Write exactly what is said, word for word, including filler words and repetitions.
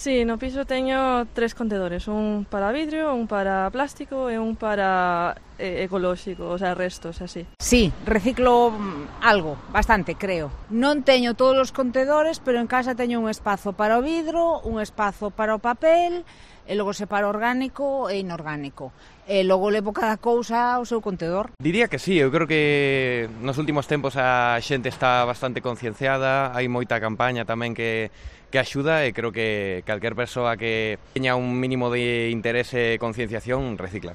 Sí, no piso teño tres contedores, un para vidrio, un para plástico e un para eh, ecolóxico, o sea, restos, así. Sí, reciclo algo, bastante, creo. Non teño todos os contedores, pero en casa teño un espazo para o vidro, un espazo para o papel, e logo separo orgánico e inorgánico. E logo levo cada cousa ao seu contedor. Diría que sí, eu creo que nos últimos tempos a xente está bastante concienciada, hai moita campaña tamén que que axuda e creo que calquer persoa que teña un mínimo de interese e concienciación recicla.